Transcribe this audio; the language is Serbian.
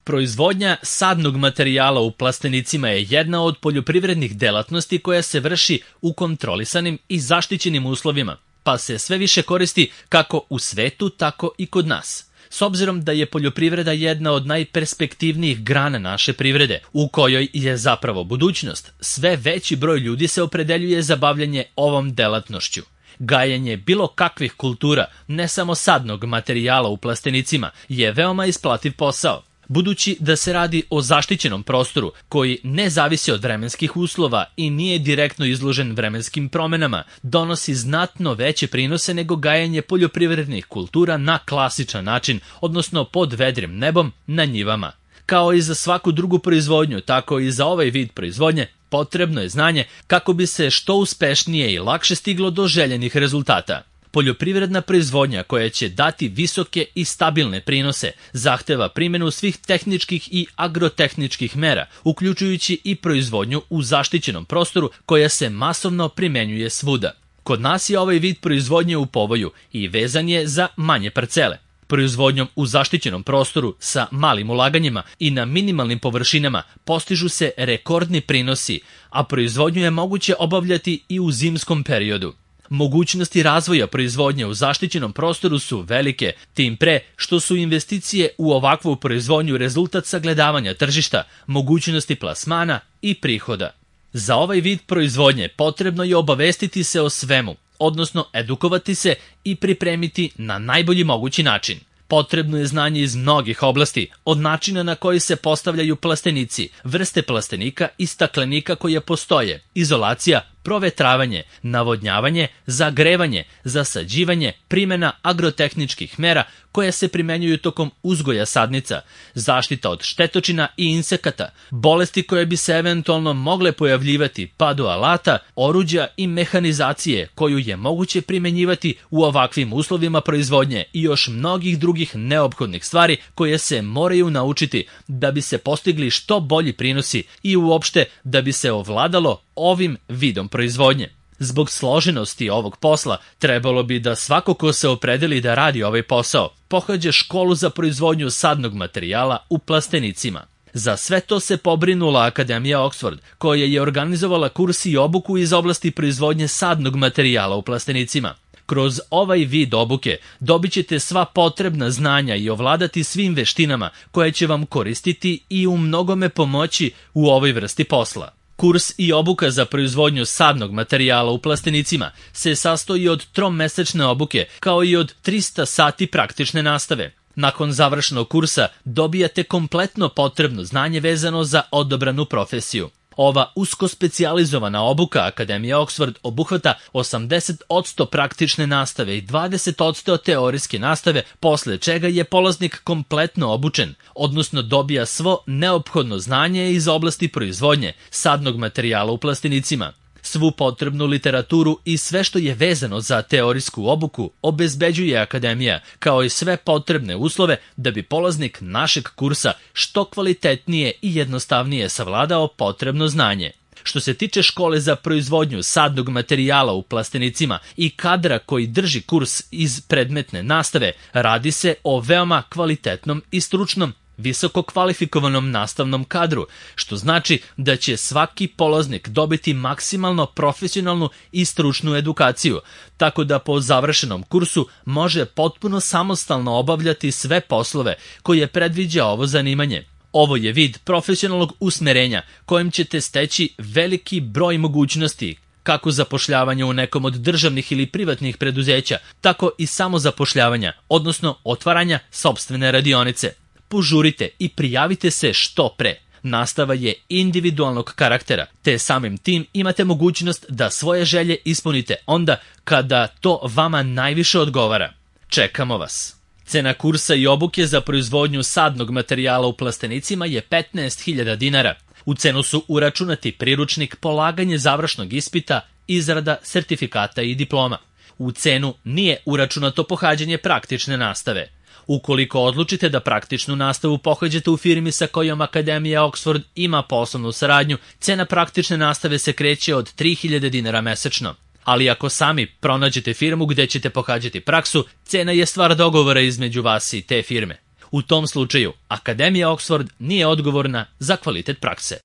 Proizvodnja sadnog materijala u plastenicima je jedna od poljoprivrednih delatnosti koja se vrši u kontrolisanim i zaštićenim uslovima, pa se sve više koristi kako u svetu, tako i kod nas. S obzirom da je poljoprivreda jedna od najperspektivnijih grana naše privrede, u kojoj je zapravo budućnost, sve veći broj ljudi se opredeljuje za bavljanje ovom delatnošću. Gajenje bilo kakvih kultura, ne samo sadnog materijala u plastenicima, je veoma isplativ posao. Budući da se radi o zaštićenom prostoru koji ne zavisi od vremenskih uslova i nije direktno izložen vremenskim promenama, donosi znatno veće prinose nego gajenje poljoprivrednih kultura na klasičan način, odnosno pod vedrim nebom na njivama. Kao i za svaku drugu proizvodnju, tako i za ovaj vid proizvodnje potrebno je znanje kako bi se što uspešnije i lakše stiglo do željenih rezultata. Poljoprivredna proizvodnja koja će dati visoke i stabilne prinose zahteva primjenu svih tehničkih i agrotehničkih mera, uključujući i proizvodnju u zaštićenom prostoru koja se masovno primenjuje svuda. Kod nas je ovaj vid proizvodnje u povoju i vezan je za manje parcele. Proizvodnjom u zaštićenom prostoru sa malim ulaganjima i na minimalnim površinama postižu se rekordni prinosi, a proizvodnju je moguće obavljati i u zimskom periodu. Mogućnosti razvoja proizvodnje u zaštićenom prostoru su velike, tim pre što su investicije u ovakvu proizvodnju rezultat sagledavanja tržišta, mogućnosti plasmana i prihoda. Za ovaj vid proizvodnje potrebno je obavestiti se o svemu, odnosno edukovati se i pripremiti na najbolji mogući način. Potrebno je znanje iz mnogih oblasti, od načina na koji se postavljaju plastenici, vrste plastenika i staklenika koje postoje, izolacija, provetravanje, navodnjavanje, zagrevanje, zasađivanje, primjena agrotehničkih mera koje se primenjuju tokom uzgoja sadnica, zaštita od štetočina i insekata, bolesti koje bi se eventualno mogle pojavljivati pa do alata, oruđa i mehanizacije koju je moguće primenjivati u ovakvim uslovima proizvodnje i još mnogih drugih neophodnih stvari koje se moraju naučiti da bi se postigli što bolji prinosi i uopšte da bi se ovladalo ovim vidom proizvodnje. Zbog složenosti ovog posla trebalo bi da svako ko se opredeli da radi ovaj posao pohađa školu za proizvodnju sadnog materijala u plastenicima. Za sve to se pobrinula Akademija Oxford, koja je organizovala kurs i obuku iz oblasti proizvodnje sadnog materijala u plastenicima. Kroz ovaj vid obuke dobit ćete sva potrebna znanja i ovladati svim veštinama koje će vam koristiti i u mnogome pomoći u ovoj vrsti posla. Kurs i obuka za proizvodnju sadnog materijala u plastenicima se sastoji od tromesečne obuke kao i od 300 sati praktične nastave. Nakon završenog kursa dobijate kompletno potrebno znanje vezano za odabranu profesiju. Ova usko specijalizovana obuka Akademije Oxford obuhvata 80% praktične nastave i 20% teorijske nastave, posle čega je polaznik kompletno obučen, odnosno dobija svo neophodno znanje iz oblasti proizvodnje sadnog materijala u plastenicima. Svu potrebnu literaturu i sve što je vezano za teorijsku obuku obezbeđuje Akademija, kao i sve potrebne uslove da bi polaznik našeg kursa što kvalitetnije i jednostavnije savladao potrebno znanje. Što se tiče škole za proizvodnju sadnog materijala u plastenicima i kadra koji drži kurs iz predmetne nastave, radi se o veoma kvalitetnom i stručnom visoko kvalifikovanom nastavnom kadru, što znači da će svaki polaznik dobiti maksimalno profesionalnu i stručnu edukaciju, tako da po završenom kursu može potpuno samostalno obavljati sve poslove koje predviđa ovo zanimanje. Ovo je vid profesionalnog usmerenja kojim ćete steći veliki broj mogućnosti, kako zapošljavanja u nekom od državnih ili privatnih preduzeća, tako i samozapošljavanja, odnosno otvaranja sopstvene radionice. Požurite i prijavite se što pre. Nastava je individualnog karaktera, te samim tim imate mogućnost da svoje želje ispunite onda kada to vama najviše odgovara. Čekamo vas. Cena kursa i obuke za proizvodnju sadnog materijala u plastenicima je 15.000 dinara. U cenu su uračunati priručnik, polaganje završnog ispita, izrada sertifikata i diploma. U cenu nije uračunato pohađanje praktične nastave. Ukoliko odlučite da praktičnu nastavu pohađate u firmi sa kojom Akademija Oxford ima poslovnu saradnju, cena praktične nastave se kreće od 3.000 dinara mesečno. Ali ako sami pronađete firmu gde ćete pohađati praksu, cena je stvar dogovora između vas i te firme. U tom slučaju, Akademija Oxford nije odgovorna za kvalitet prakse.